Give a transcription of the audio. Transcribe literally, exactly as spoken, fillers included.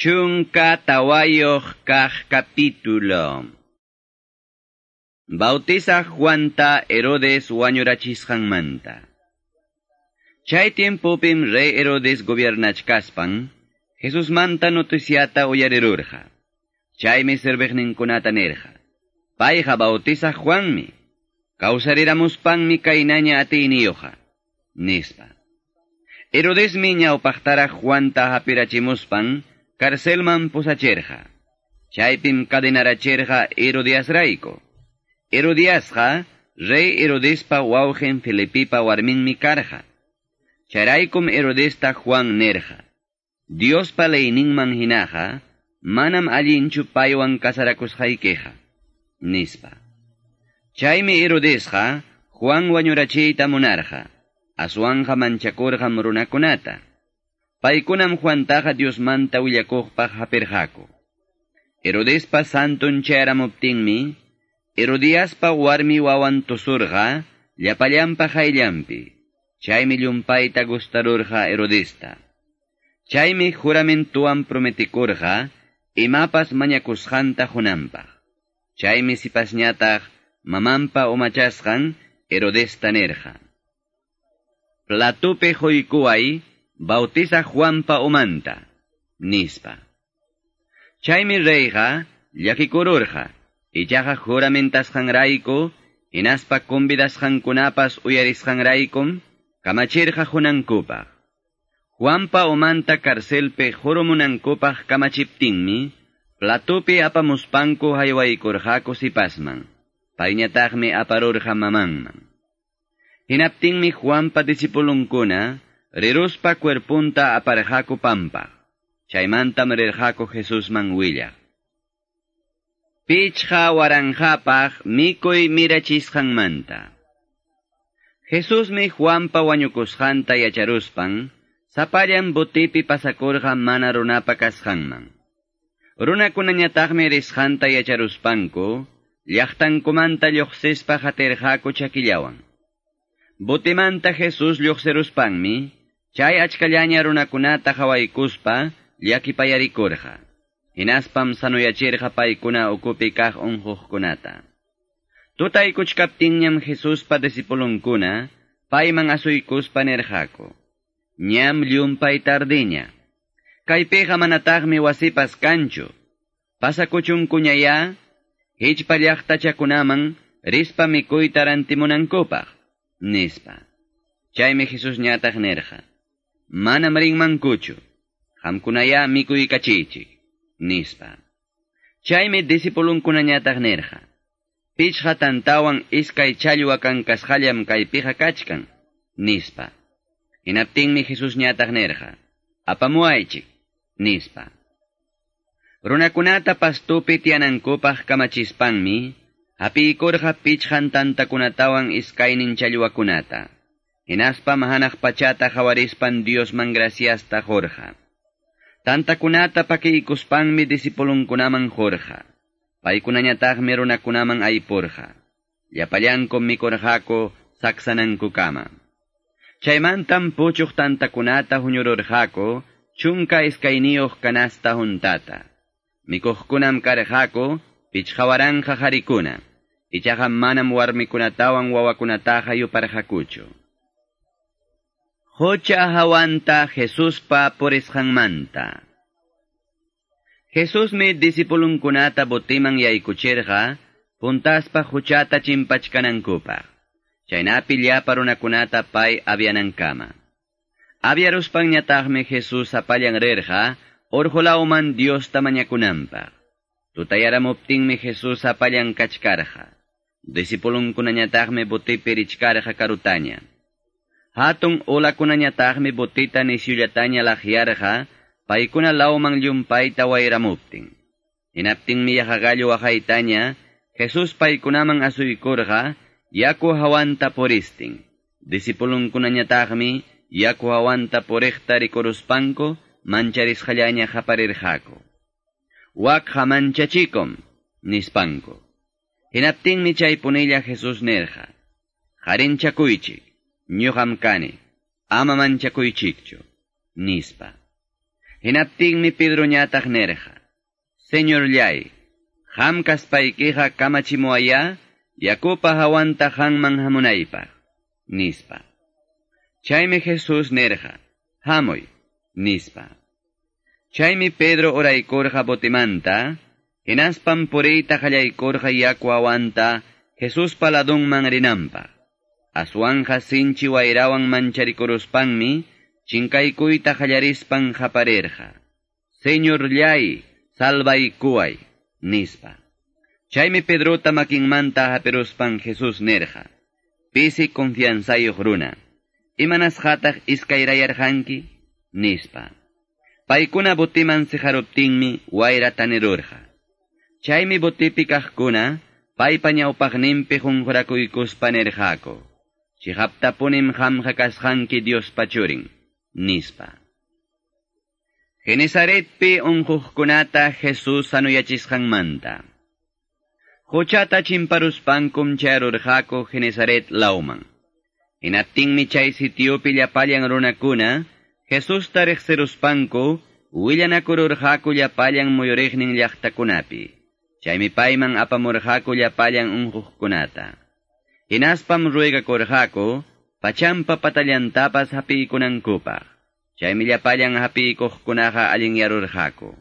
Chunka tawayuq kaq capítulo. Bautiza Juanta Herodes wañurachisqanmanta. Chay tiempopim rey Herodes gobiernachkaspan, Jesusmanta noticiata uyarirurqa. Chaymi serviqninkunata nirqa: Payqa bautiza Juanmi, kawsariramuspanmi kaynaña atiyniyuqa, nispa. Herodesmi ñawpaqtaraq Juanta hapirachimuspan, carcelman pusachirqa. Chaypim cadenarachirqa Herodiasrayku. Herodiasqa rey Herodespa wawqin Felipipa warminmi karqa. Chayraykum Herodesta Juan nirqa: Diospa leyninman hinaqa, manam allinchu paywan casarakusqaykiqa, nispa. Chaymi Herodesqa Juan wañurachiyta munarqa, aswanqa manchakurqam runakunata. Paykunam Juantaqa Diosmanta willakuqpaq hapirqaku. Herodespa santun chayaramuptinmi, Herodiaspa warmi wawan tusurqa llapallanpa qayllanpi. Chaymi llumpayta gustarurqa Herodesta. Chaymi juramentuwan prometikurqa imapas mañakusqanta qunanpaq. Chaymi sipasñataq mamanpa umachasqan Herodesta nirqa: Platupi quykuway bautiza Juanpa umanta, nispa. Chaymi reyqa llakikururqa, ichaqa juramentasqanrayku, hinaspa convidasqankunapas uyarisqanraykum, kamachirqa qunankupaq. Juanpa umanta carcelpi qurumunankupaq kamachiptinmi, platupi apamuspanku haywaykurqaku sipasman, payñataqmi aparurqa mamanman. Hinaptinmi Juanpa discipulunkuna riruspa cuerpunta aparqaku pampaq. Chaymantam rirqaku Jesusman willaq. Pichqa waranqapaq mikuy mirachisqanmanta. Jesusmi Juanpa wañukusqanta yacharuspan, sapallan botipi pasakurqa mana runapa kasqanman. Runakunañataqmi risqanta yacharuspanku, llaqtankumanta lluqsispa qatirqaku chakillawan. Botimanta Jesús lluqsiruspanmi, chay achkallaña runakunata qhawaykuspa llakipayarikurqa. Hinaspam sanuyachirqa paykuna ukupi kaq unquqkunata. Tutaykuchkaptinñam Jesuspa discipulunkuna payman asuykuspa nirqaku: Ñam llumpay tardiña. Kaypiqa manataqmi wasipas kanchu. Pasakuchunkuñayá, hichpa llaqtachakunaman rispa mikuyta rantimunankupaq, nispa. Chaymi Jesusñataq nirqa: Manam rinmankuchu, qamkunayá mikuykachiychik, nispa. Chaymi discipulunkunañataq nirqa: Pichqa tantawan iskay challwa kankasqallam kaypiqa kachkan, nispa. Hinaptinmi Jesusñataq nirqa: Apamuwaychik, nispa. Runakunata pastupi tiyanankupaq kamachispanmi, hapiykurqa pichqan tantakunatawan iskaynin challwakunata. Hinaspam hanaq pachata qawarispan Diosman graciasta qurqa. Tantakunata pakiykuspanmi discipulunkunaman qurqa. Paykunañataqmi runakunaman aypurqa. Llapallankum mikurqaku saksanankukama. Chaymantam puchuq tantakunata huñururqaku chunka iskayniyuq canasta huntata. Mikuqkunam karqaku pichqa waranqa qarikuna. Ichaqa manam warmikunatawan wawakunataqa yuparqakuchu. Qucha hawanta Jesuspa purisqanmanta. Jesusmi discipulunkunata botiman yaykuchirqa, puntaspa quchata chimpachkanankupaq. Chaynapi llapa runakunata pay avianankama. Aviaruspanñataqmi Jesús sapallan rirqa, urqu lawman Diosta mañakunanpaq. Tutayaramuptinmi Jesús sapallan kachkarqa. Discipulunkunañataqmi botipi richkarqa karutaña. Hatun ulakunañataqmi botita nisyullataña laqyarqa, paykuna lawman llumpayta wayramuptin. Hinaptinmi yaqagallu waqaytaña, Jesús paykunaman asuykurqa, yaku hawanta puristin. Discipulunkunañataqmi yaku hawanta puriqta rikuruspanku mancharisqallaña qaparirqaku: Wakqa manchachikum, nispanku. Hinaptinmi chaypunilla Jesús nirqa: Qarinchakuychik, ñuqam kani, ama manchakuychikchu, nispa. Hinaptinmi Pedroñataq nirqa: Señorllay, qam kaspaykiqa kamachimuwayá yakupa hawanta qamman hamunaypaq, nispa. Chaymi Jesús nirqa: Hamuy, nispa. Chaymi Pedro uraykurqa botimanta, hinaspam puriyta qallaykurqa yaku hawanta Jesuspa ladunman rinanpaq. Aswanja sinchi wayrawan mancharikuruspanmi, chinkaykuyta qallarispan qaparirqa: Señorllay, salvaykuway, nispa. Chaymi Pedrota makinmanta hapiruspan Jesús nirqa: Pisi confianzayuq runa, imanasqataq iskayrayarqanki, nispa. Paykuna botiman siqaruptinmi wayra tanirurqa. Chaymi botipi kaqkuna paypa ñawpaqninpi qunqurakuykuspa nirqaku: Chiqaptapunim qamqa kasqanki Diospa churin, nispa. Genesaretpi unquqkunata Jesús sanuyachisqanmanta. Quchata chimparuspankum chayarurqaku Genesaret lawman. Hinaptinmi chay sitiopi llapallan runakuna Jesusta riqsiruspanku willanakururqaku llapallan muyuriqnin llaqtakunapi. Chaymi payman apamurqaku llapallan unquqkunata. Hinaspam ruegakurqaku pachampa patallantapas hapiykunankupaq. Chaymi llapallan hapiykuqkunaqa allinyarurqaku.